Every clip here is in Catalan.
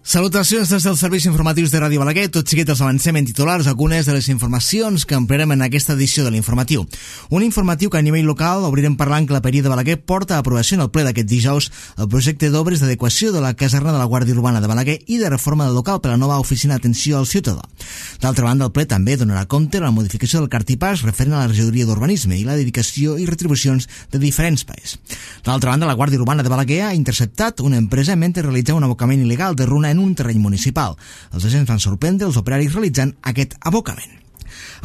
Salutacions des dels serveis informatius de Ràdio Balaguer. Tot seguit els avancem en titulars algunes de les informacions que ampliarem en aquesta edició de l'informatiu. Un informatiu que a nivell local obrirem parlant que la Peria de Balaguer porta a aprovació en el ple d'aquest dijous el projecte d'obres d'adequació de la caserna de la Guàrdia Urbana de Balaguer i de reforma del local per a la nova oficina d'atenció al ciutadà. D'altra banda, el ple també donarà compte de la modificació del cartipàs referent a la regidoria d'urbanisme i la dedicació i retribucions de diferents paes. D'altra banda, la Guàrdia Urbana de Balaguer ha interceptat una empresa mentre realitzava un abocament il·legal de runa en un terreny municipal. Els agents van sorprendre els operaris realitzant aquest abocament.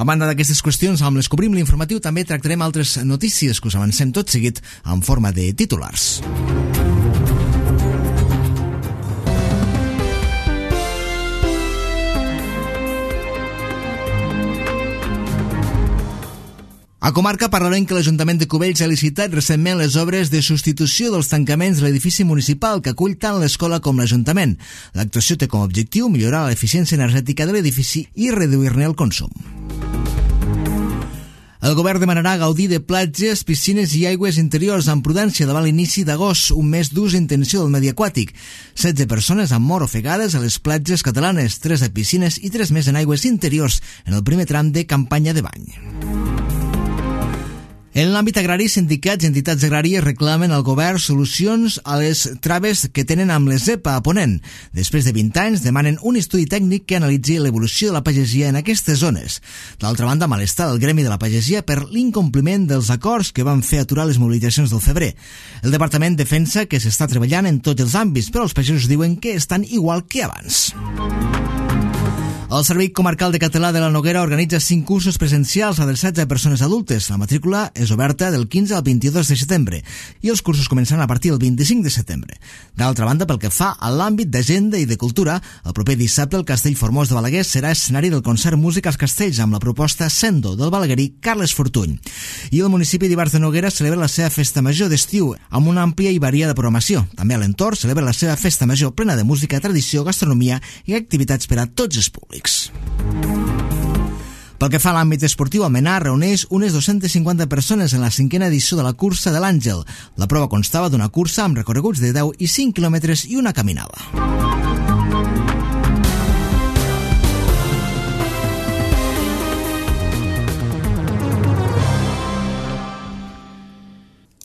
A banda d'aquestes qüestions, amb les que obrim l'informatiu, també tractarem altres notícies que us avancem tot seguit en forma de titulars. A comarca parlarem que l'Ajuntament de Cubells ha licitat recentment les obres de substitució dels tancaments de l'edifici municipal que acull tant l'escola com l'Ajuntament. L'actuació té com a objectiu millorar l'eficiència energètica de l'edifici i reduir-ne el consum. El govern demanarà gaudir de platges, piscines i aigües interiors amb prudència davant l'inici d'agost, un mes d'ús i intenció del medi aquàtic. 16 persones han mort ofegades a les platges catalanes, 3 a piscines i 3 més en aigües interiors en el primer tram de campanya de bany. En l'àmbit agrari, sindicats i entitats agràries reclamen al govern solucions a les traves que tenen amb les ZEPA a Ponent. Després de 20 anys, demanen un estudi tècnic que analitzi l'evolució de la pagesia en aquestes zones. D'altra banda, malestar del gremi de la pagesia per l'incompliment dels acords que van fer aturar les mobilitzacions del febrer. El departament defensa que s'està treballant en tots els àmbits, però els pagesos diuen que estan igual que abans. El Servei Comarcal de Català de la Noguera organitza 5 cursos presencials adreçats a persones adultes. La matrícula és oberta del 15 al 22 de setembre i els cursos començaran a partir del 25 de setembre. D'altra banda, pel que fa a l'àmbit d'agenda i de cultura, el proper dissabte el Castell Formós de Balaguer serà escenari del concert Música als Castells amb la proposta Sendo del balaguerí Carles Fortuny. I el municipi d'Ivars de Noguera celebra la seva festa major d'estiu amb una àmplia i variada programació. També a l'entorn celebra la seva festa major plena de música, tradició, gastronomia i activitats per a tots els públics. Pel que fa a l'àmbit esportiu, Almenar reuneix unes 250 persones en la 5a edició de la cursa de l'Àngel. La prova constava d'una cursa amb recorreguts de 10 i 5 quilòmetres i una caminada.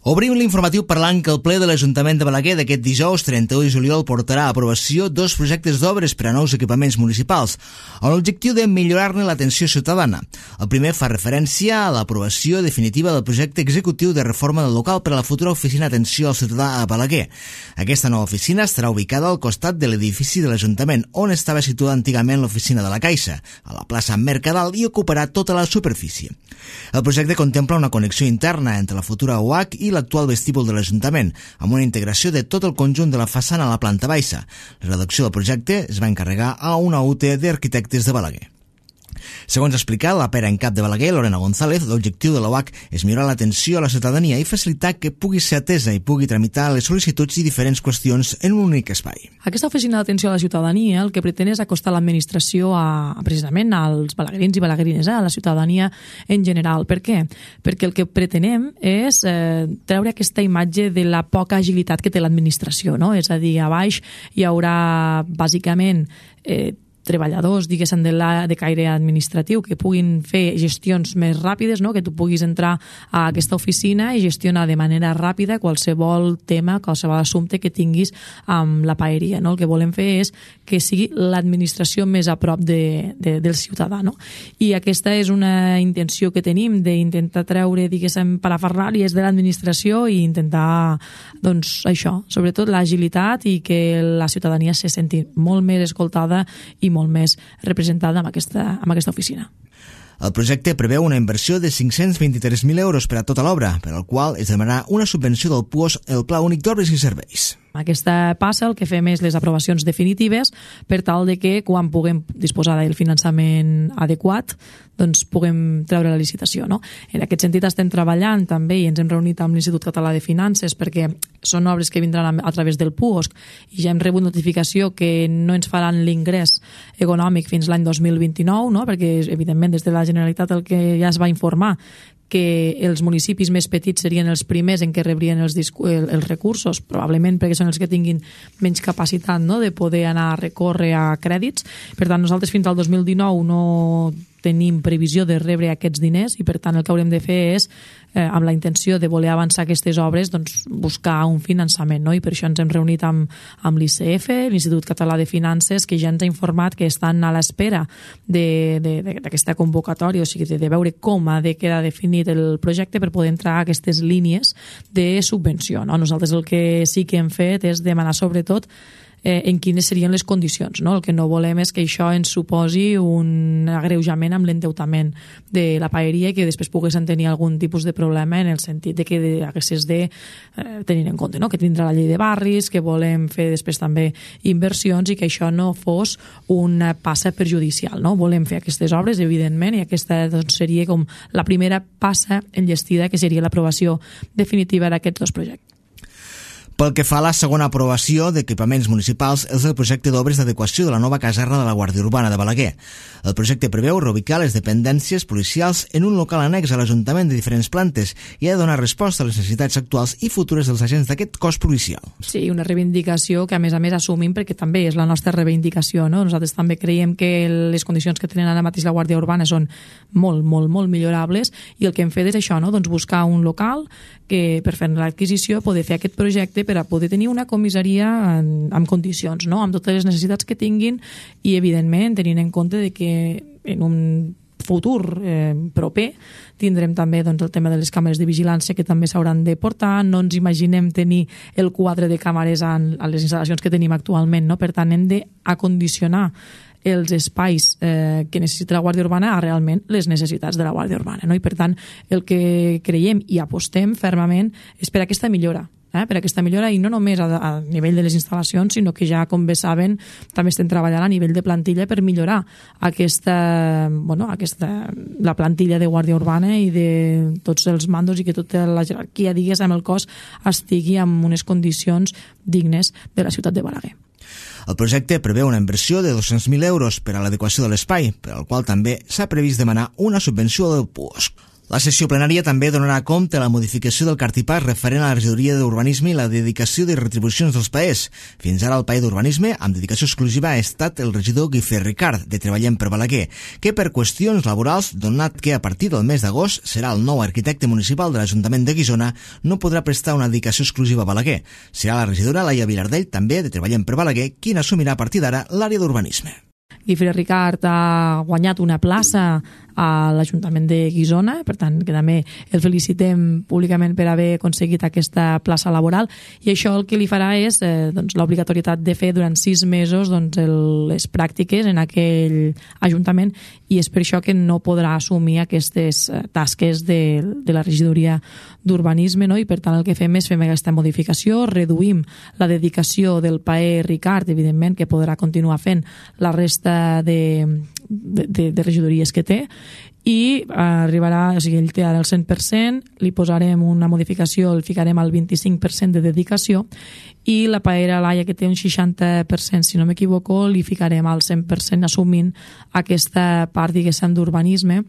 Obrim l'informatiu parlant que el ple de l'Ajuntament de Balaguer d'aquest dijous 31 de juliol portarà a aprovació 2 projectes d'obres per a nous equipaments municipals, amb l'objectiu de millorar-ne l'atenció ciutadana. El primer fa referència a l'aprovació definitiva del projecte executiu de reforma del local per a la futura oficina d'atenció al ciutadà a Balaguer. Aquesta nova oficina estarà ubicada al costat de l'edifici de l'Ajuntament, on estava situada antigament l'oficina de la Caixa, a la plaça Mercadal, i ocuparà tota la superfície. El projecte contempla una connexió interna entre la futura UAC i l'actual vestíbul de l'Ajuntament, amb una integració de tot el conjunt de la façana a la planta baixa. La redacció del projecte es va encarregar a una UT d'arquitectes de Balaguer. Segons ha explicat la pera en cap de Balaguer, Lorena González, l'objectiu de la UAC és millorar l'atenció a la ciutadania i facilitar que pugui ser atesa i pugui tramitar les sol·licituds i diferents qüestions en un únic espai. Aquesta oficina d'atenció a la ciutadania el que pretén és acostar l'administració precisament als balaguerins i balaguerines, a la ciutadania en general. Per què? Perquè el que pretenem és treure aquesta imatge de la poca agilitat que té l'administració, no? És a dir, a baix hi haurà bàsicament treballadors, diguéssim, de caire administratiu que puguin fer gestions més ràpides, no? Que tu puguis entrar a aquesta oficina i gestionar de manera ràpida qualsevol tema, qualsevol assumpte que tinguis amb la paeria, no? El que volem fer és que sigui l'administració més a prop del ciutadà, no? I aquesta és una intenció que tenim d'intentar treure, diguéssim, parafernàlies de l'administració i intentar, doncs, això, sobretot l'agilitat i que la ciutadania se senti molt més escoltada i molt més representada amb aquesta oficina. El projecte preveu una inversió de 523.000 euros per a tota l'obra, per al qual es demanarà una subvenció del PUOS, el Pla Únic d'Obres i Serveis. Aquesta passa el que fem és les aprovacions definitives per tal de que quan puguem disposar del finançament adequat doncs puguem treure la licitació, no? En aquest sentit estem treballant també i ens hem reunit amb l'Institut Català de Finances perquè són obres que vindran a través del PUOSC i ja hem rebut notificació que no ens faran l'ingrés econòmic fins l'any 2029, no? Perquè evidentment des de la Generalitat el que ja es va informar que els municipis més petits serien els primers en què rebrien els recursos, probablement perquè són els que tinguin menys capacitat, no?, de poder anar a recórrer a crèdits. Per tant, nosaltres fins al 2019 no tenim previsió de rebre aquests diners i, per tant, el que haurem de fer és, amb la intenció de voler avançar aquestes obres, doncs, buscar un finançament, no? I per això ens hem reunit amb l'ICF, l'Institut Català de Finances, que ja ens ha informat que estan a l'espera d'aquesta convocatòria, o sigui, de veure com ha de quedar definit el projecte per poder entrar a aquestes línies de subvenció, no? Nosaltres el que sí que hem fet és demanar, sobretot, en quines serien les condicions, no? El que no volem és que això ens suposi un agreujament amb l'endeutament de la paeria i que després poguessin tenir algun tipus de problema en el sentit de que haguessis de tenir en compte, no?, que tindrà la llei de barris, que volem fer després també inversions i que això no fos una passa perjudicial, no? Volem fer aquestes obres, evidentment, i aquesta doncs, seria com la primera passa enllestida, que seria l'aprovació definitiva d'aquests dos projectes. Pel que fa a la segona aprovació d'equipaments municipals és el projecte d'obres d'adequació de la nova caserna de la Guàrdia Urbana de Balaguer. El projecte preveu reubicar les dependències policials en un local annex a l'Ajuntament de diferents plantes i ha de donar resposta a les necessitats actuals i futures dels agents d'aquest cos policial. Sí, una reivindicació que a més assumim perquè també és la nostra reivindicació, no? Nosaltres també creiem que les condicions que tenen ara mateix la Guàrdia Urbana són molt millorables i el que hem fet és això, no?, doncs buscar un local que per fer l'adquisició poder fer aquest projecte per a poder tenir una comissaria en condicions, no?, amb totes les necessitats que tinguin i, evidentment, tenint en compte de que en un futur proper tindrem també doncs, el tema de les càmeres de vigilància que també s'hauran de portar. No ens imaginem tenir el quadre de càmeres a les instal·lacions que tenim actualment, no? Per tant, hem d'acondicionar els espais que necessita la Guàrdia Urbana a realment les necessitats de la Guàrdia Urbana, no? I per tant el que creiem i apostem fermament és per aquesta millora, per aquesta millora, i no només a nivell de les instal·lacions, sinó que ja, com bé saben, també estem treballant a nivell de plantilla per millorar la plantilla de Guàrdia Urbana i de tots els mandos i que tota la jerarquia, digues, amb el cos estigui en unes condicions dignes de la ciutat de Balaguer. El projecte preveu una inversió de 200.000 euros per a l'adequació de l'espai, per al qual també s'ha previst demanar una subvenció del PUOSC. La sessió plenària també donarà compte a la modificació del cartipàs referent a la regidoria d'urbanisme i la dedicació de retribucions dels paers. Fins ara el paer d'urbanisme, amb dedicació exclusiva, ha estat el regidor Guifré Ricard, de Treballem per Balaguer, que per qüestions laborals, donat que a partir del mes d'agost serà el nou arquitecte municipal de l'Ajuntament de Guissona, no podrà prestar una dedicació exclusiva a Balaguer. Serà la regidora Laia Vilardell, també de Treballem per Balaguer, qui assumirà a partir d'ara l'àrea d'urbanisme. Guifré Ricard ha guanyat una plaça a l'Ajuntament de Guissona, per tant, que també el felicitem públicament per haver aconseguit aquesta plaça laboral, i això el que li farà és l'obligatorietat de fer durant 6 mesos les pràctiques en aquell Ajuntament, i és per això que no podrà assumir aquestes tasques de la regidoria d'urbanisme, no? I per tant el que fem és fer aquesta modificació, reduïm la dedicació del paer Ricard, evidentment que podrà continuar fent la resta de regidories que té, i arribarà, o sigui, ell té ara el 100%, li posarem una modificació, el ficarem al 25% de dedicació, i la paera Laia, que té un 60%, si no m'equivoco, li ficarem al 100%, assumint aquesta part, diguéssim, d'urbanisme,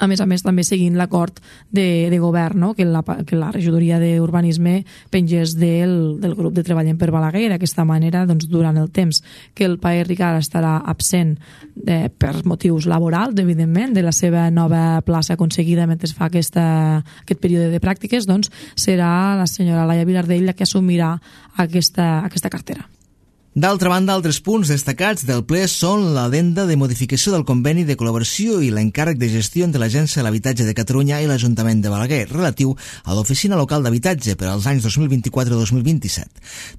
a més, també seguint l'acord de govern, no? que la regidoria d'urbanisme pengés del grup de Treballem per Balaguer. D'aquesta manera, durant el temps que el paer Ricard estarà absent per motius laborals, evidentment, de la seva nova plaça aconseguida mentre fa aquest període de pràctiques, serà la senyora Laia Vilardell la que assumirà aquesta cartera. D'altra banda, altres punts destacats del ple són l'adenda de modificació del conveni de col·laboració i l'encàrrec de gestió entre l'Agència de l'Habitatge de Catalunya i l'Ajuntament de Balaguer, relatiu a l'Oficina Local d'Habitatge per als anys 2024-2027.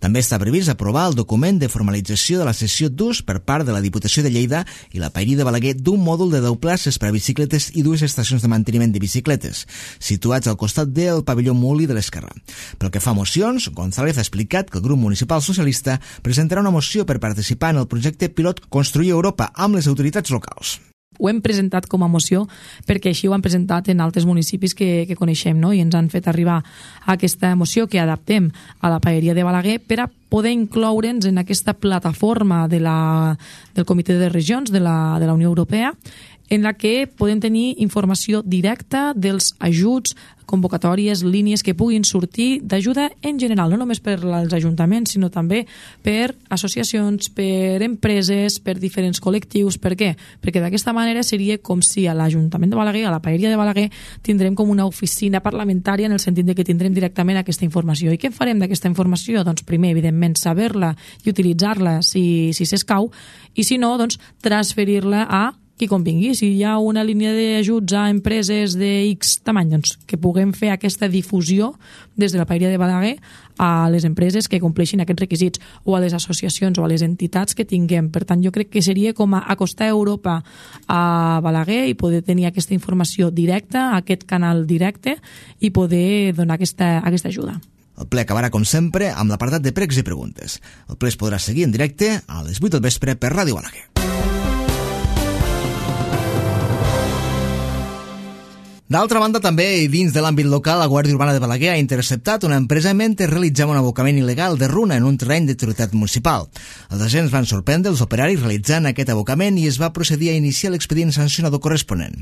També està previst aprovar el document de formalització de la cessió d'ús per part de la Diputació de Lleida i la Paeria de Balaguer d'un mòdul de 10 places per a bicicletes i 2 estacions de manteniment de bicicletes, situats al costat del pavelló Muli de l'Esquerra. Pel que fa a mocions, González ha explicat que el grup municipal socialista presentarà una moció per participar en el projecte pilot Construir Europa amb les autoritats locals. Ho hem presentat com a moció perquè així ho han presentat en altres municipis que coneixem, no? I ens han fet arribar aquesta moció que adaptem a la paeria de Balaguer per a poder incloure'ns en aquesta plataforma del Comitè de Regions de la Unió Europea, en la que podem tenir informació directa dels ajuts, convocatòries, línies que puguin sortir d'ajuda en general, no només per als ajuntaments, sinó també per associacions, per empreses, per diferents col·lectius. Per què? Perquè d'aquesta manera seria com si a l'Ajuntament de Balaguer, a la Paeria de Balaguer, tindrem com una oficina parlamentària en el sentit de que tindrem directament aquesta informació. I què farem d'aquesta informació? Doncs primer, evidentment, saber-la i utilitzar-la si s'escau, i si no, doncs transferir-la a qui convingui. Si hi ha una línia d'ajuts a empreses de X tamany, doncs que puguem fer aquesta difusió des de la Paeria de Balaguer a les empreses que compleixin aquests requisits, o a les associacions o a les entitats que tinguem. Per tant, jo crec que seria com acostar Europa a Balaguer i poder tenir aquesta informació directa, aquest canal directe, i poder donar aquesta ajuda. El ple acabarà, com sempre, amb l'apartat de pregs i preguntes. El ple es podrà seguir en directe a les 8 del vespre per Ràdio Balaguer. D'altra banda, també, i dins de l'àmbit local, la Guàrdia Urbana de Balaguer ha interceptat una empresa mentre realitzava un abocament il·legal de runa en un terreny de titularitat municipal. Els agents van sorprendre els operaris realitzant aquest abocament i es va procedir a iniciar l'expedient sancionador corresponent.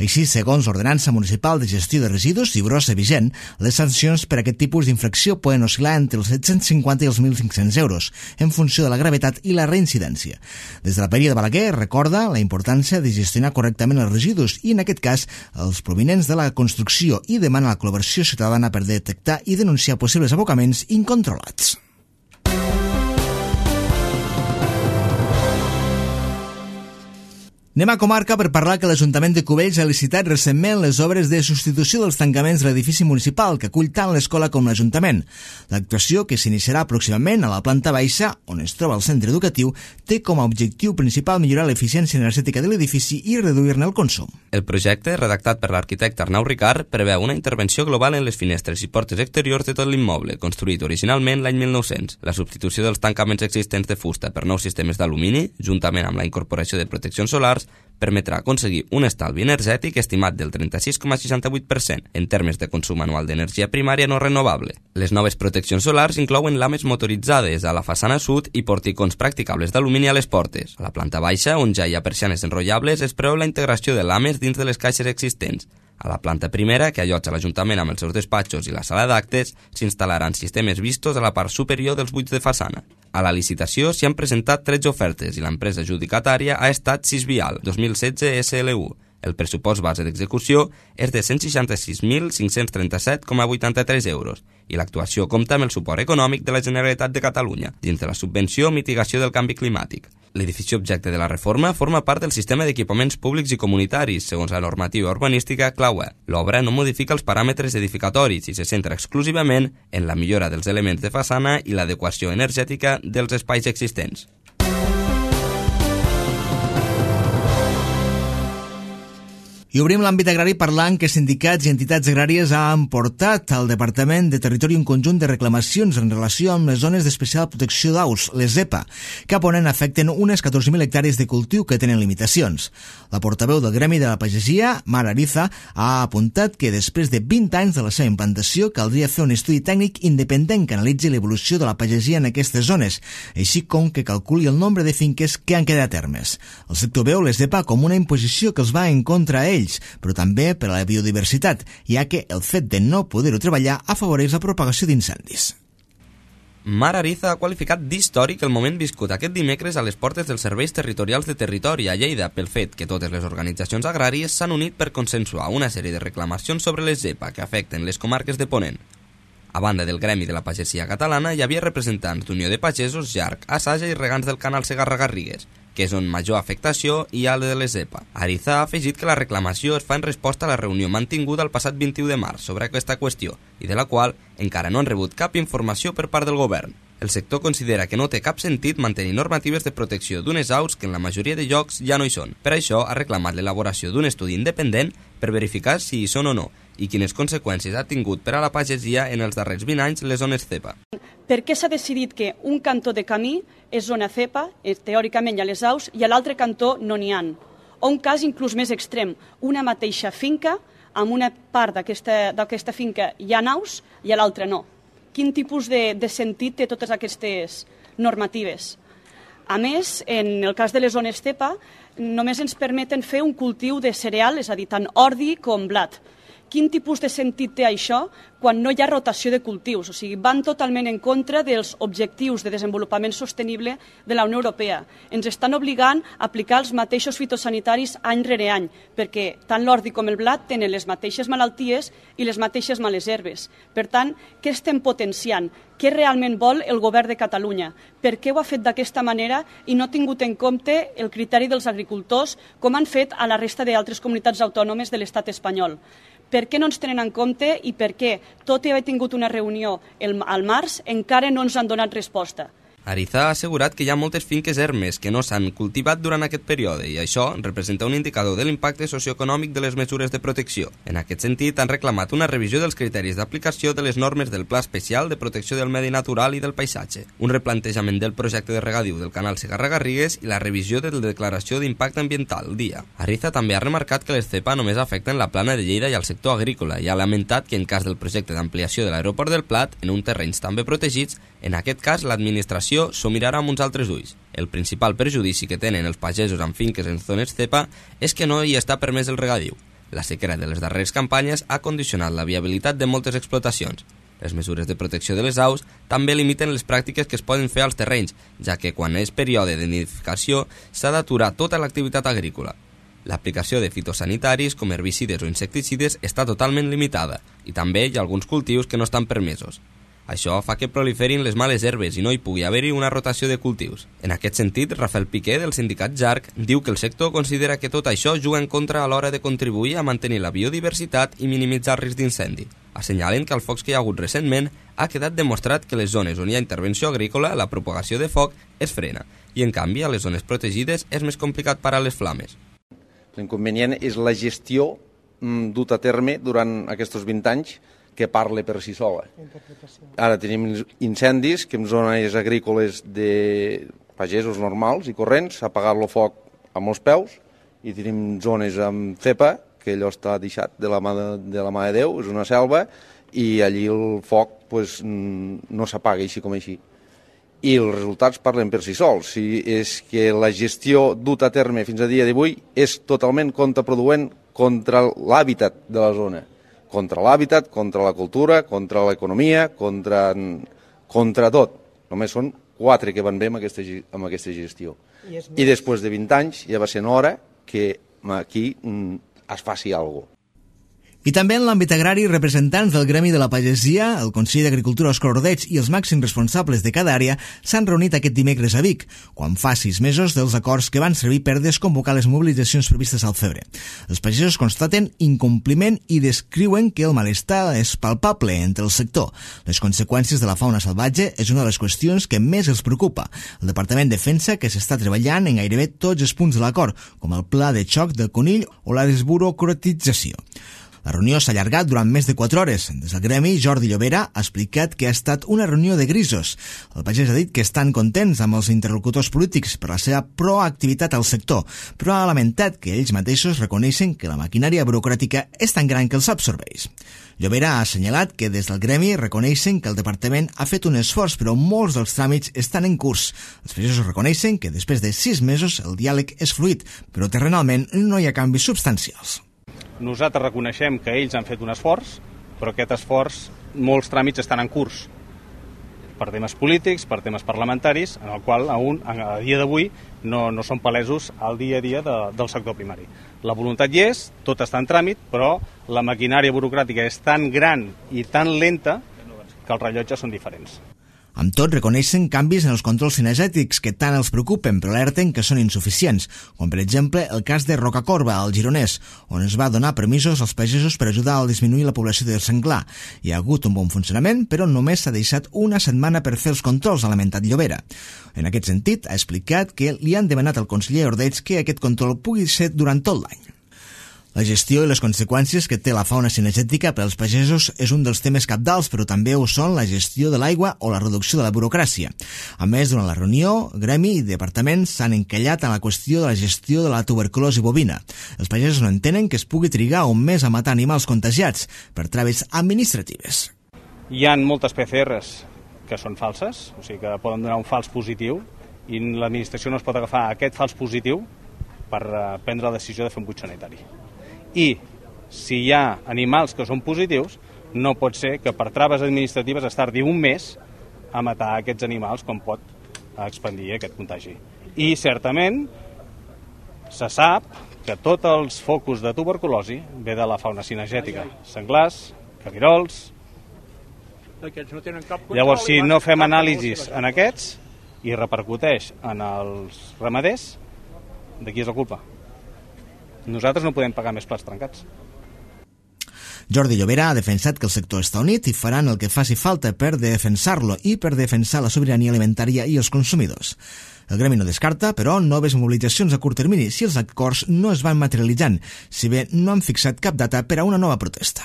Així, segons l'Ordenança Municipal de Gestió de Residus i brossa vigent, les sancions per aquest tipus d'infracció poden oscil·lar entre els 750 i els 1.500 euros, en funció de la gravetat i la reincidència. Des de la Paeria de Balaguer recorda la importància de gestionar correctament els residus i, en aquest cas, els provinents de la construcció, i demana la col·laboració ciutadana per detectar i denunciar possibles abocaments incontrolats. Anem a comarca per parlar que l'Ajuntament de Cubells ha licitat recentment les obres de substitució dels tancaments de l'edifici municipal que acull tant l'escola com l'Ajuntament. L'actuació, que s'iniciarà pròximament a la planta baixa, on es troba el centre educatiu, té com a objectiu principal millorar l'eficiència energètica de l'edifici i reduir-ne el consum. El projecte, redactat per l'arquitecte Arnau Ricard, preveu una intervenció global en les finestres i portes exteriors de tot l'immoble, construït originalment l'any 1900, la substitució dels tancaments existents de fusta per nous sistemes d'alumini, juntament amb la incorporació de proteccions solars, permetrà aconseguir un estalvi energètic estimat del 36,68% en termes de consum anual d'energia primària no renovable. Les noves proteccions solars inclouen lames motoritzades a la façana sud i porticons practicables d'alumini a les portes. A la planta baixa, on ja hi ha persianes enrotllables, es preveu la integració de lames dins de les caixes existents. A la planta primera, que allotja l'Ajuntament amb els seus despatxos i la sala d'actes, s'instal·laran sistemes vistos a la part superior dels buits de façana. A la licitació s'hi han presentat 13 ofertes i l'empresa adjudicatària ha estat Sisvial 2016 SLU. El pressupost base d'execució és de 166.537,83 euros i l'actuació compta amb el suport econòmic de la Generalitat de Catalunya dins de la subvenció Mitigació del Canvi Climàtic. L'edifici objecte de la reforma forma part del sistema d'equipaments públics i comunitaris, segons la normativa urbanística CLAUE. L'obra no modifica els paràmetres edificatoris i se centra exclusivament en la millora dels elements de façana i l'adequació energètica dels espais existents. I obrim l'àmbit agrari parlant que sindicats i entitats agràries han portat al Departament de Territori un conjunt de reclamacions en relació amb les zones d'especial protecció d'aus, les ZEPA, que a Ponent afecten unes 14.000 hectàrees de cultiu que tenen limitacions. La portaveu del Gremi de la Pagesia, Mar Ariza, ha apuntat que després de 20 anys de la seva implantació caldria fer un estudi tècnic independent que analitzi l'evolució de la pagesia en aquestes zones, així com que calculi el nombre de finques que han quedat a termes. El sector veu les ZEPA com una imposició que els va en contra a ells, però també per a la biodiversitat, ja que el fet de no poder-ho treballar afavoreix la propagació d'incendis. Mar Ariza ha qualificat d'històric el moment viscut aquest dimecres a les portes dels serveis territorials de territori a Lleida pel fet que totes les organitzacions agràries s'han unit per consensuar una sèrie de reclamacions sobre les ZEPA que afecten les comarques de Ponent. A banda del Gremi de la Pagesia Catalana, hi havia representants d'Unió de Pagesos, Jarc, Assaja i regants del canal Segarra-Garrigues, que és on major afectació hi ha de les ZEPA. Ariza ha afegit que la reclamació es fa en resposta a la reunió mantinguda el passat 21 de març sobre aquesta qüestió i de la qual encara no han rebut cap informació per part del govern. El sector considera que no té cap sentit mantenir normatives de protecció d'unes aus que en la majoria de llocs ja no hi són. Per això ha reclamat l'elaboració d'un estudi independent per verificar si hi són o no i quines conseqüències ha tingut per a la pagesia en els darrers 20 anys les zones ZEPA. Per què s'ha decidit que un cantó de camí és zona ZEPA, teòricament hi ha les aus, i a l'altre cantó no n'hi ha? O un cas inclús més extrem, una mateixa finca, amb una part d'aquesta finca hi ha aus i a l'altra no. Quin tipus de sentit té totes aquestes normatives? A més, en el cas de les zones cepa, només ens permeten fer un cultiu de cereal, és a dir, tant ordi com blat. Quin tipus de sentit té això quan no hi ha rotació de cultius? O sigui, van totalment en contra dels objectius de desenvolupament sostenible de la Unió Europea. Ens estan obligant a aplicar els mateixos fitosanitaris any rere any, perquè tant l'ordi com el blat tenen les mateixes malalties i les mateixes males herbes. Per tant, què estem potenciant? Què realment vol el govern de Catalunya? Per què ho ha fet d'aquesta manera i no ha tingut en compte el criteri dels agricultors, com han fet a la resta d'altres comunitats autònomes de l'estat espanyol? Per què no ens tenen en compte i per què, tot i haver tingut una reunió al març, encara no ens han donat resposta? Ariza ha assegurat que hi ha moltes finques ermes que no s'han cultivat durant aquest període i això representa un indicador de l'impacte socioeconòmic de les mesures de protecció. En aquest sentit, han reclamat una revisió dels criteris d'aplicació de les normes del Pla Especial de Protecció del Medi Natural i del Paisatge, un replantejament del projecte de regadiu del canal Segarra-Garrigues i la revisió de la declaració d'impacte ambiental, DIA. Ariza també ha remarcat que les cepa només afecten la plana de Lleida i el sector agrícola i ha lamentat que en cas del projecte d'ampliació de l'aeroport del Plat, en uns terrenys també protegits, en aquest cas l'administració s'ho mirarà amb uns altres ulls. El principal perjudici que tenen els pagesos amb finques en zones cepa és que no hi està permès el regadiu. La sequera de les darreres campanyes ha condicionat la viabilitat de moltes explotacions. Les mesures de protecció de les aus també limiten les pràctiques que es poden fer als terrenys, ja que quan és període de nidificació s'ha d'aturar tota l'activitat agrícola. L'aplicació de fitosanitaris com herbicides o insecticides està totalment limitada i també hi ha alguns cultius que no estan permesos. Això fa que proliferin les males herbes i no hi pugui haver-hi una rotació de cultius. En aquest sentit, Rafael Piqué, del sindicat JARC, diu que el sector considera que tot això juga en contra a l'hora de contribuir a mantenir la biodiversitat i minimitzar el risc d'incendi. Assenyalen que el foc que hi ha hagut recentment ha quedat demostrat que les zones on hi ha intervenció agrícola la propagació de foc es frena i, en canvi, a les zones protegides és més complicat parar les flames. L'inconvenient és la gestió dut a terme durant aquests 20 anys que parla per si sola. Ara tenim incendis que en zones agrícoles de pagesos normals i corrents s'ha apagat el foc amb els peus i tenim zones amb cepa que allò està deixat de la mà de Déu, és una selva i allí el foc no s'apaga així com així. I els resultats parlen per si sols. Si és que la gestió duta a terme fins a dia d'avui és totalment contraproduent contra l'hàbitat de la zona. Contra l'hàbitat, contra la cultura, contra l'economia, contra tot. Només són 4 que van bé amb aquesta gestió. I després de 20 anys ja va ser hora que aquí es faci alguna cosa. I també en l'àmbit agrari, representants del Gremi de la Pagesia, el Consell d'Agricultura Òscar Ordeig i els màxims responsables de cada àrea s'han reunit aquest dimecres a Vic, quan fa 6 mesos dels acords que van servir per desconvocar les mobilitzacions previstes al febrer. Els pagesos constaten incompliment i descriuen que el malestar és palpable entre el sector. Les conseqüències de la fauna salvatge és una de les qüestions que més els preocupa. El Departament defensa que s'està treballant en gairebé tots els punts de l'acord, com el pla de xoc del conill o la desburocratització. La reunió s'ha allargat durant més de 4 hores. Des del gremi, Jordi Llobera ha explicat que ha estat una reunió de grisos. El pagès ha dit que estan contents amb els interlocutors polítics per la seva proactivitat al sector, però ha lamentat que ells mateixos reconeixen que la maquinària burocràtica és tan gran que els absorbeix. Llobera ha assenyalat que des del gremi reconeixen que el departament ha fet un esforç, però molts dels tràmits estan en curs. Els pagesos reconeixen que després de 6 mesos el diàleg és fluid, però terrenalment no hi ha canvis substancials. Nosaltres reconeixem que ells han fet un esforç, però aquest esforç, molts tràmits estan en curs, per temes polítics, per temes parlamentaris, en el qual a dia d'avui no són palesos al dia a dia del sector primari. La voluntat hi és, tot està en tràmit, però la maquinària burocràtica és tan gran i tan lenta que els rellotges són diferents. Amb tot, reconeixen canvis en els controls cinegètics que tant els preocupen, però alerten que són insuficients, com per exemple el cas de Rocacorba, al Gironès, on es va donar permisos als pagesos per ajudar a disminuir la població de senglar. Hi ha hagut un bon funcionament, però només s'ha deixat una setmana per fer els controls, ha lamentat Llobera. En aquest sentit, ha explicat que li han demanat al conseller Ordeig que aquest control pugui ser durant tot l'any. La gestió i les conseqüències que té la fauna cinegètica per als pagesos és un dels temes cabdals, però també ho són la gestió de l'aigua o la reducció de la burocràcia. A més, durant la reunió, gremi i departament s'han encallat en la qüestió de la gestió de la tuberculosi bovina. Els pagesos no entenen que es pugui trigar un mes a matar animals contagiats per traves administratives. Hi ha moltes PCRs que són falses, o sigui que poden donar un fals positiu, i l'administració no es pot agafar aquest fals positiu per prendre la decisió de fer un buit sanitari. I si hi ha animals que són positius, no pot ser que per traves administratives es tardi un mes a matar aquests animals com pot expandir aquest contagi. I certament se sap que tots els focus de tuberculosi ve de la fauna cinegètica, senglars, cabirols. Llavors, si no fem anàlisis en aquests i repercuteix en els ramaders, de qui és la culpa? Nosaltres no podem pagar més plats trencats. Jordi Llobera ha defensat que el sector està unit i faran el que faci falta per defensar-lo i per defensar la sobirania alimentària i els consumidors. El gremi no descarta, però, noves mobilitzacions a curt termini si els acords no es van materialitzant, si bé no han fixat cap data per a una nova protesta.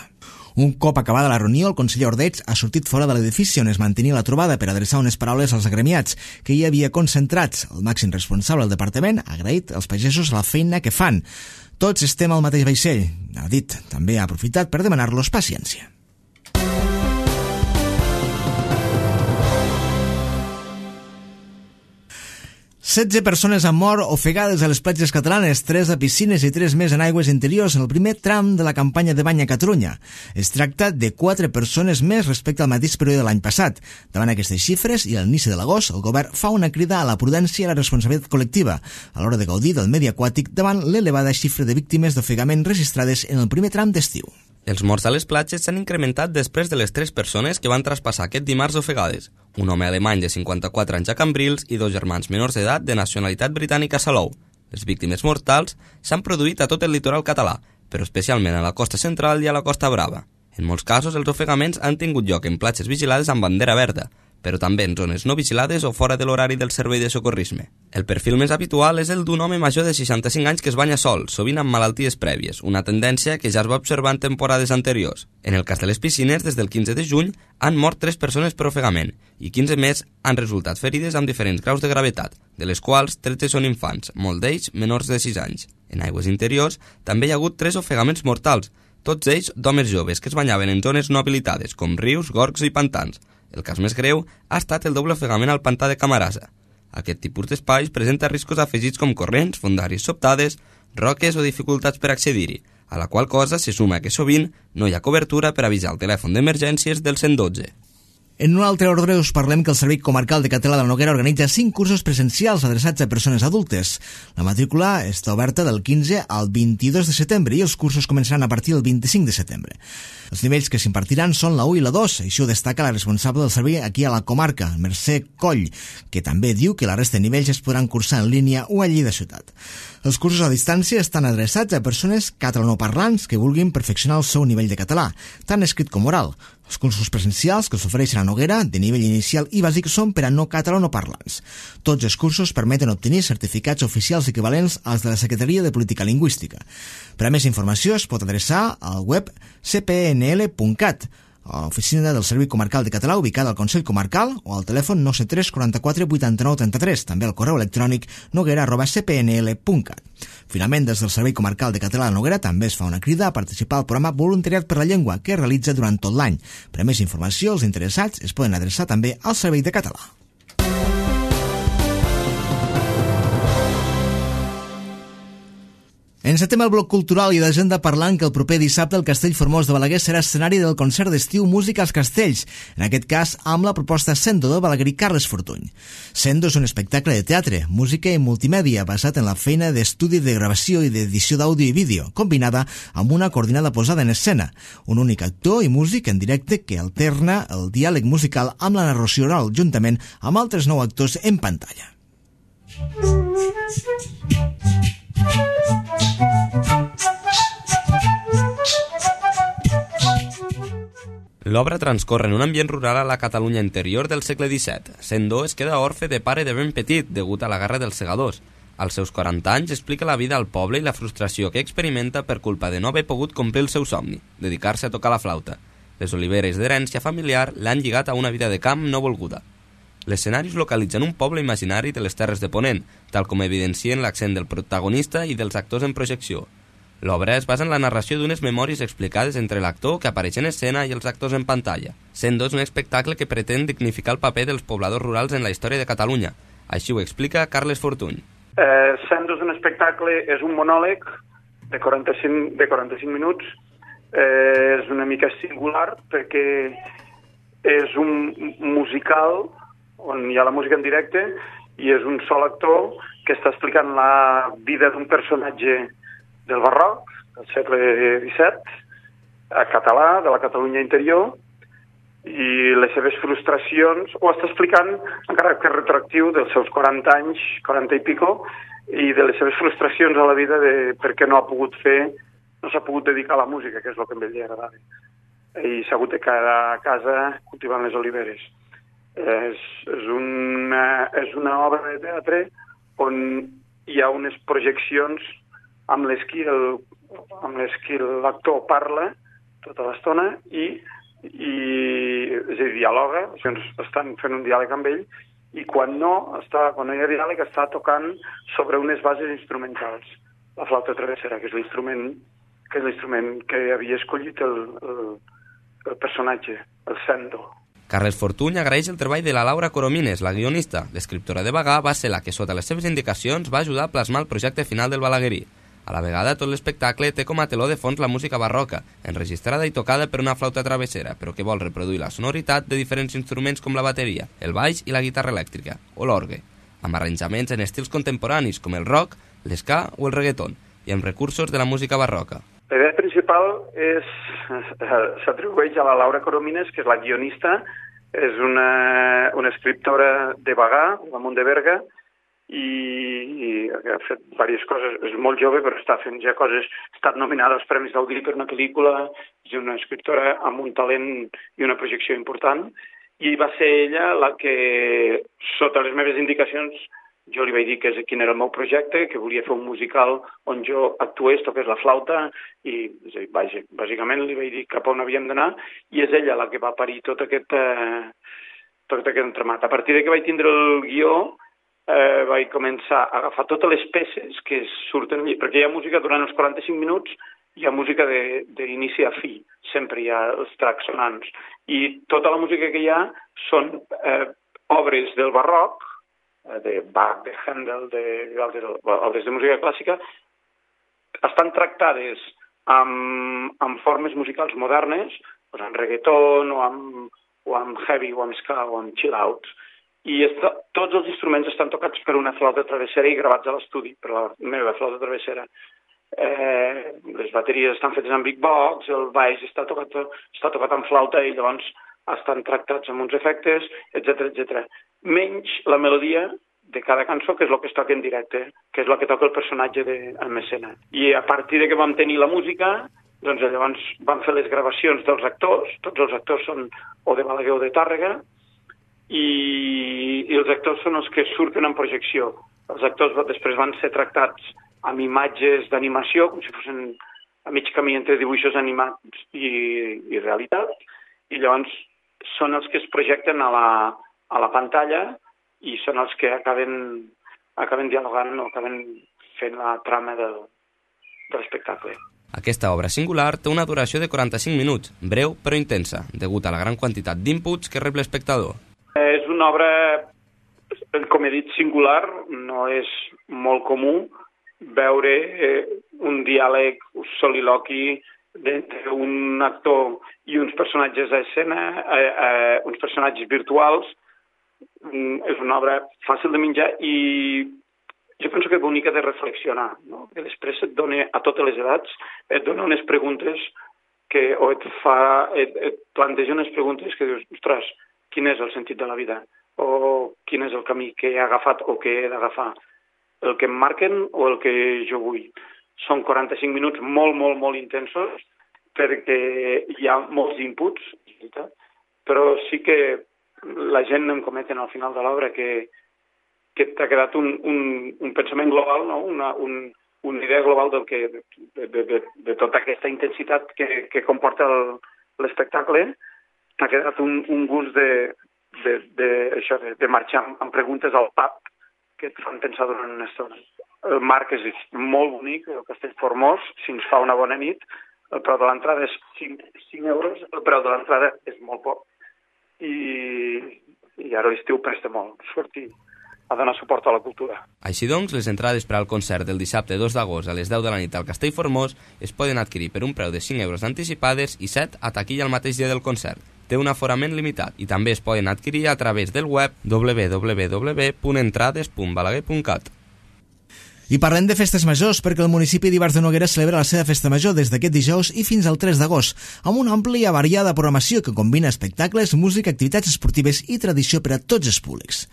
Un cop acabada la reunió, el conseller Ordeig ha sortit fora de l'edifici on es mantenia la trobada per adreçar unes paraules als agremiats que hi havia concentrats. El màxim responsable del departament ha agraït als pagesos la feina que fan. Tots estem al mateix vaixell, ha dit. També ha aprofitat per demanar-los paciència. Setze persones han mort ofegades a les platges catalanes, 3 a piscines i 3 més en aigües interiors en el primer tram de la campanya de bany a Catalunya. Es tracta de 4 persones més respecte al mateix període de l'any passat. Davant aquestes xifres i a l'inici de l'agost, el govern fa una crida a la prudència i a la responsabilitat col·lectiva a l'hora de gaudir del medi aquàtic davant l'elevada xifra de víctimes d'ofegament registrades en el primer tram d'estiu. Els morts a les platges s'han incrementat després de les 3 persones que van traspassar aquest dimarts ofegades. Un home alemany de 54 anys a Cambrils i 2 germans menors d'edat de nacionalitat britànica a Salou. Les víctimes mortals s'han produït a tot el litoral català, però especialment a la costa central i a la Costa Brava. En molts casos, els ofegaments han tingut lloc en platges vigilades amb bandera verda, però també en zones no vigilades o fora de l'horari del servei de socorrisme. El perfil més habitual és el d'un home major de 65 anys que es banya sol, sovint amb malalties prèvies, una tendència que ja es va observar en temporades anteriors. En el cas de les piscines, des del 15 de juny han mort 3 persones per ofegament i 15 més han resultat ferides amb diferents graus de gravetat, de les quals 13 són infants, molts d'ells menors de 6 anys. En aigües interiors també hi ha hagut 3 ofegaments mortals, tots ells d'homes joves que es banyaven en zones no habilitades, com rius, gorgs i pantans. El cas més greu ha estat el doble ofegament al pantà de Camarasa. Aquest tipus d'espais presenta riscos afegits com corrents, fondàries sobtades, roques o dificultats per accedir-hi, a la qual cosa se suma que sovint no hi ha cobertura per avisar el telèfon d'emergències del 112. En un altre ordre us parlem que el Servei Comarcal de Català de la Noguera organitza 5 cursos presencials adreçats a persones adultes. La matrícula està oberta del 15 al 22 de setembre i els cursos començaran a partir del 25 de setembre. Els nivells que s'impartiran són la 1 i la 2, això ho destaca la responsable del servei aquí a la comarca, Mercè Coll, que també diu que la resta de nivells es podran cursar en línia o allí de ciutat. Els cursos a distància estan adreçats a persones catalanoparlants que vulguin perfeccionar el seu nivell de català, tant escrit com oral. Els cursos presencials que s'ofereixen a Noguera, de nivell inicial i bàsic, són per a no catalanoparlants. Tots els cursos permeten obtenir certificats oficials equivalents als de la Secretaria de Política Lingüística. Per a més informació es pot adreçar al web cpnl.cat, a l'oficina del Servei Comarcal de Català ubicada al Consell Comarcal o al telèfon 973 44 89 33, també al correu electrònic noguera@cpnl.cat. Finalment, des del Servei Comarcal de Català de Noguera també es fa una crida a participar al programa Voluntariat per la Llengua que es realitza durant tot l'any. Per a més informació, els interessats es poden adreçar també al Servei de Català. Encetem el bloc cultural i d'agenda parlant que el proper dissabte el Castell Formós de Balaguer serà escenari del concert d'estiu Música als Castells, en aquest cas amb la proposta Sendo del balaguerí Carles Fortuny. Sendo és un espectacle de teatre, música i multimèdia basat en la feina d'estudi de gravació i d'edició d'àudio i vídeo, combinada amb una coordinada posada en escena, un únic actor i músic en directe que alterna el diàleg musical amb la narració oral, juntament amb altres 9 actors en pantalla. L'obra transcorre en un ambient rural a la Catalunya interior del segle XVII. Sendo es queda orfe de pare de ben petit degut a la guerra dels segadors. Als seus 40 anys explica la vida al poble i la frustració que experimenta per culpa de no haver pogut complir el seu somni, dedicar-se a tocar la flauta. Les oliveres d'herència familiar l'han lligat a una vida de camp no volguda. L'escenari es localitza en un poble imaginari de les Terres de Ponent, tal com evidencien l'accent del protagonista i dels actors en projecció. L'obra es basa en la narració d'unes memòries explicades entre l'actor que apareix en escena i els actors en pantalla. Sendo és un espectacle que pretén dignificar el paper dels pobladors rurals en la història de Catalunya, Així ho explica Carles Fortuny. Sendo és un espectacle, és un monòleg de 45 minuts. És una mica singular perquè és un musical on hi ha la música en directe i és un sol actor que està explicant la vida d'un personatge del barroc, del segle XVII, a català, de la Catalunya interior, i les seves frustracions, ho està explicant en caràcter retroactiu dels seus 40 anys, 40 i pico, i de les seves frustracions a la vida de per què no s'ha pogut dedicar a la música, que és el que a ell li agradava. I s'ha hagut de quedar a casa cultivant les oliveres. És una obra de teatre on hi ha unes projeccions amb les que l'actor parla tota l'estona i és a dir, dialoga, estan fent un diàleg amb ell i quan no hi ha diàleg està tocant sobre unes bases instrumentals. La flauta travessera, que és l'instrument que havia escollit el personatge, el Sendo. Carles Fortuny agraeix el treball de la Laura Coromines, la guionista. L'escriptora de Bagà va ser la que, sota les seves indicacions, va ajudar a plasmar el projecte final del Balaguerí. A la vegada, tot l'espectacle té com a teló de fons la música barroca, enregistrada i tocada per una flauta travessera, però que vol reproduir la sonoritat de diferents instruments com la bateria, el baix i la guitarra elèctrica, o l'orgue, amb arranjaments en estils contemporanis com el rock, l'esca o el reggaeton, i amb recursos de la música barroca. La idea principal s'atribueix a la Laura Coromines, que és la guionista, és una escriptora de Bagà, damunt de Berga, i ha fet diverses coses. És molt jove, però està fent ja coses. Ha estat nominada als Premis Gaudí per una pel·lícula, és una escriptora amb un talent i una projecció important, i va ser ella la que, sota les meves indicacions, jo li vaig dir quin era el meu projecte, que volia fer un musical on jo actués, toqués la flauta, i bàsicament li vaig dir cap on havíem d'anar, i és ella la que va parir tot aquest entramat. A partir de que vaig tindre el guió, vaig començar a agafar totes les peces que surten allà, perquè hi ha música durant els 45 minuts, hi ha música d'inici a fi, sempre hi ha els tracks sonants, i tota la música que hi ha són obres del barroc, de Bach, de Handel, obres de música clàssica, estan tractades amb formes musicals modernes, amb reggaeton o amb heavy o amb ska o amb chill out, i tots els instruments estan tocats per una flauta travessera i gravats a l'estudi per la meva flauta travessera. Les bateries estan fetes amb big box, el baix està tocat amb flauta i llavors estan tractats amb uns efectes, etc. Menys la melodia de cada cançó, que és el que es toca en directe, que és el que toca el personatge en escena. I a partir de que vam tenir la música, doncs llavors vam fer les gravacions dels actors, tots els actors són o de Balaguer o de Tàrrega, i els actors són els que surten en projecció. Els actors després van ser tractats amb imatges d'animació, com si fossin a mig camí entre dibuixos animats i realitat, i llavors són els que es projecten a la pantalla i són els que acaben dialogant o acaben fent la trama de l'espectacle. Aquesta obra singular té una duració de 45 minuts, breu però intensa, degut a la gran quantitat d'inputs que rep l'espectador. És una obra, com he dit, singular, no és molt comú veure un diàleg, un soliloqui entre un actor i uns personatges a escena, uns personatges virtuals. És una obra fàcil de menjar i jo penso que és bonica de reflexionar, no? Que després et dona, a totes les edats, et dona unes preguntes o et planteja unes preguntes que dius, ostres, quin és el sentit de la vida? O quin és el camí que he agafat o que he d'agafar? El que em marquen o el que jo vull? Són 45 minuts molt, molt, molt intensos perquè hi ha molts inputs, però sí que la gent em cometen al final de l'obra que t'ha quedat un pensament global, no? Una idea global de tota aquesta intensitat que comporta l'espectacle. T'ha quedat un gust de marxar amb preguntes al pub que et fan pensar durant una estona. El marc és molt bonic, el Castell Formós, si ens fa una bona nit, el preu de l'entrada és 5 euros, el preu de l'entrada és molt poc. I ara l'estiu presta molt sortir donar suport a la cultura. Així doncs, les entrades per al concert del dissabte 2 d'agost a les 10 de la nit al Castell Formós es poden adquirir per un preu de 5 euros anticipades i 7 a taquilla el mateix dia del concert. Té un aforament limitat i també es poden adquirir a través del web www.entrades.balaguer.cat. I parlem de festes majors perquè el municipi d'Ivars de Noguera celebra la seva festa major des d'aquest dijous i fins al 3 d'agost, amb una àmplia variada programació que combina espectacles, música, activitats esportives i tradició per a tots els públics.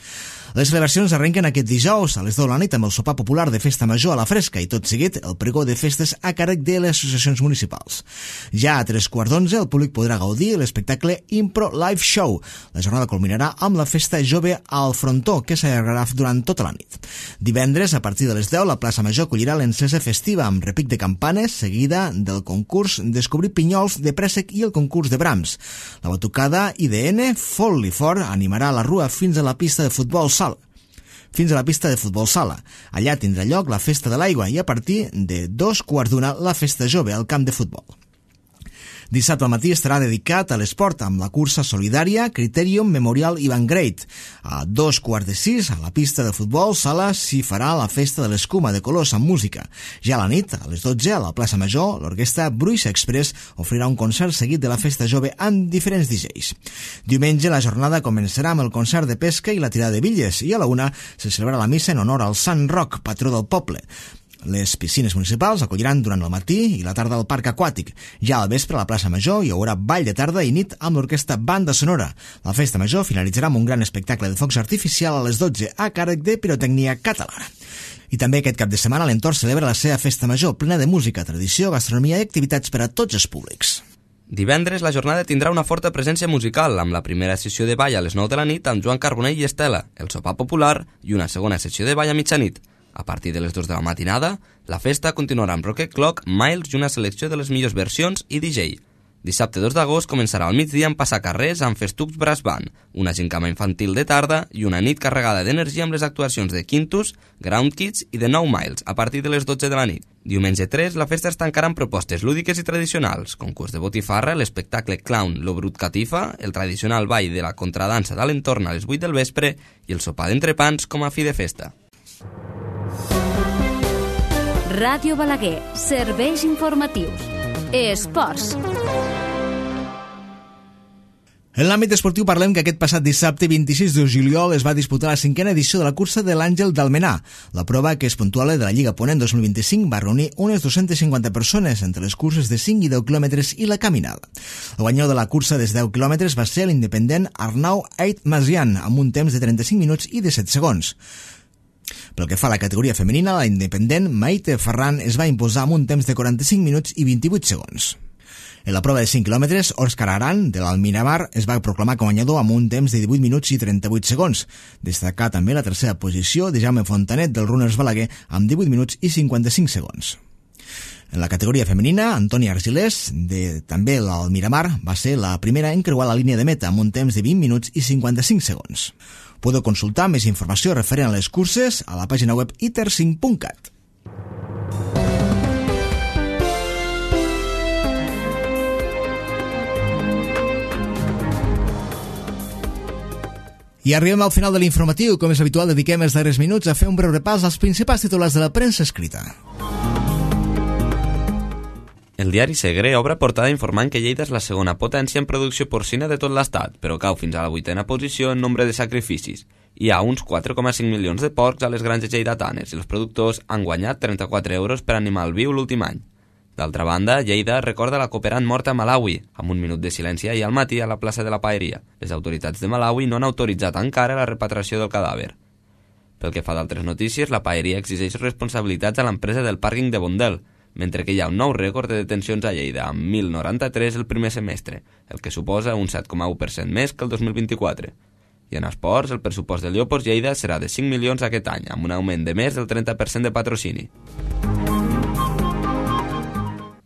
Les celebracions arrenquen aquest dijous a les 10 de la nit amb el sopar popular de festa major a la fresca i tot seguit el pregó de festes a càrrec de les associacions municipals. Ja a 3:15 el públic podrà gaudir l'espectacle Impro Live Show. La jornada culminarà amb la festa jove al frontó que s'allargarà durant tota la nit. Divendres, a partir de les 10, la plaça Major acollirà l'encesa festiva amb repic de campanes, seguida del concurs Descobrir Pinyols de Préssec i el concurs de Brahms. La batucada IDN Fot-li Fort animarà la rua fins a la pista de futbol sala. Allà tindrà lloc la festa de l'aigua i a partir de 2:15 la festa jove al camp de futbol. Dissabte al matí estarà dedicat a l'esport amb la cursa solidària Criterium Memorial Ivan Great. A 5:15 a la pista de futbol sala s'hi farà la festa de l'escuma de colors amb música. Ja a la nit, a les 12, a la plaça Major, l'orquestra Bruixa Express ofrirà un concert seguit de la festa jove amb diferents DJs. Diumenge la jornada començarà amb el concert de pesca i la tirada de bitlles i a la 1 se celebra la missa en honor al Sant Roc, patró del poble. Les piscines municipals acolliran durant el matí i la tarda al parc aquàtic. Ja al vespre a la plaça Major hi haurà ball de tarda i nit amb l'orquestra Banda Sonora. La festa major finalitzarà amb un gran espectacle de focs artificial a les 12 a càrrec de Pirotècnia Catalana. I també aquest cap de setmana l'entorn celebra la seva festa major plena de música, tradició, gastronomia i activitats per a tots els públics. Divendres la jornada tindrà una forta presència musical amb la primera sessió de ball a les 9 de la nit amb Joan Carbonell i Estela, el sopar popular i una segona sessió de ball a mitjanit. A partir de les 2 de la matinada, la festa continuarà amb Rocket Clock, Miles i una selecció de les millors versions i DJ. Dissabte 2 d'agost començarà al migdia amb passacarrers amb Festucs Brass Band, una gincama infantil de tarda i una nit carregada d'energia amb les actuacions de Quintus, Ground Kids i de Nou Miles a partir de les 12 de la nit. Diumenge 3, la festa es tancarà amb propostes lúdiques i tradicionals, concurs de botifarra, l'espectacle Clown Lo Brut Catifa, el tradicional ball de la contradansa de l'entorn a les 8 del vespre i el sopar d'entrepans com a fi de festa. Ràdio Balaguer, serveis informatius. Esports. En l'àmbit esportiu parlem que aquest passat dissabte 26 de juliol es va disputar la 5a edició de la cursa de l'Àngel d'Almenar. La prova, que és puntual de la Lliga Ponent 2025, va reunir unes 250 persones entre les curses de 5 i 10 quilòmetres i la caminada. El guanyador de la cursa de 10 quilòmetres va ser l'independent Arnau Aitmazian, amb un temps de 35 minuts i 17 segons. Pel que fa a la categoria femenina, la independent Maite Ferran es va imposar amb un temps de 45 minuts i 28 segons. En la prova de 5 quilòmetres, Òscar Aran, de l'Almiramar, es va proclamar com a guanyador amb un temps de 18 minuts i 38 segons. Destacar també la tercera posició de Jaume Fontanet, del Runners Balaguer, amb 18 minuts i 55 segons. En la categoria femenina, Antònia Argilés, de també l'Almiramar, va ser la primera en creuar la línia de meta amb un temps de 20 minuts i 55 segons. Podeu consultar més informació referent a les curses a la pàgina web iter5.cat. I arribem al final de l'informatiu. Com és habitual, dediquem els darrers minuts a fer un breu repàs als principals titulars de la premsa escrita. El diari Segre obre portada informant que Lleida és la segona potència en producció porcina de tot l'estat, però cau fins a la 8a posició en nombre de sacrificis. Hi ha uns 4,5 milions de porcs a les granges lleidatanes i els productors han guanyat 34 euros per animal viu l'últim any. D'altra banda, Lleida recorda la cooperant morta a Malawi, amb un minut de silenci ahir al matí a la plaça de la Paeria. Les autoritats de Malawi no han autoritzat encara la repatriació del cadàver. Pel que fa d'altres notícies, la Paeria exigeix responsabilitats a l'empresa del pàrquing de Bondel, mentre que hi ha un nou rècord de detencions a Lleida, amb 1.093 el primer semestre, el que suposa un 7,1% més que el 2024. I en esports, el pressupost del Llopos Lleida serà de 5 milions aquest any, amb un augment de més del 30% de patrocini.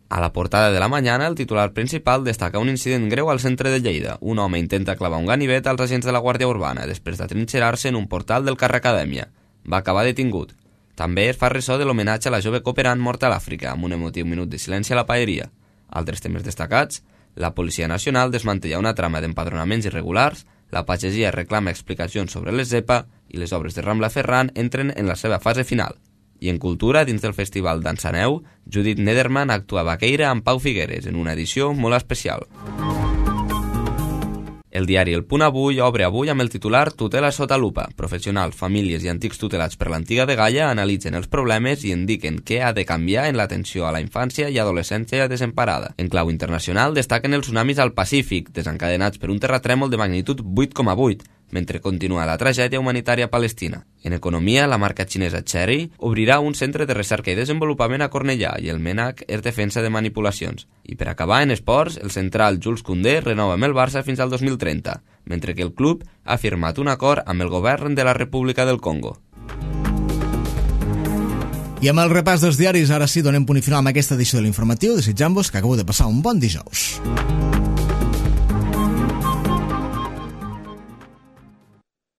A la portada de la Mañana, el titular principal destaca un incident greu al centre de Lleida. Un home intenta clavar un ganivet als agents de la Guàrdia Urbana després d'atrinxerar-se en un portal del carrer Acadèmia. Va acabar detingut. També es fa ressò de l'homenatge a la jove cooperant morta a l'Àfrica, amb un emotiu minut de silenci a la Paeria. Altres temes destacats: la Policia Nacional desmantella una trama d'empadronaments irregulars, La pagesia reclama explicacions sobre les Zepa i les obres de Rambla Ferran entren en la seva fase final. I en cultura, dins del Festival Dansaneu, Judith Nederman actua a Baqueira amb Pau Figueres en una edició molt especial. El diari El Punt Avui obre avui amb el titular Tutela sota lupa. Professionals, famílies i antics tutelats per l'antiga dgaia analitzen els problemes i indiquen què ha de canviar en l'atenció a la infància i adolescència desemparada. En clau internacional destaquen els tsunamis al Pacífic, desencadenats per un terratrèmol de magnitud 8,8, mentre continua la tragèdia humanitària palestina. En economia, la marca xinesa Chery obrirà un centre de recerca i desenvolupament a Cornellà i el MENAC és defensa de manipulacions. I per acabar, en esports, el central Jules Koundé renova amb el Barça fins al 2030, mentre que el club ha firmat un acord amb el govern de la República del Congo. I amb el repàs dels diaris, ara sí, donem punt i final amb aquesta edició de l'informatiu, desitjant-vos que acabeu de passar un bon dijous.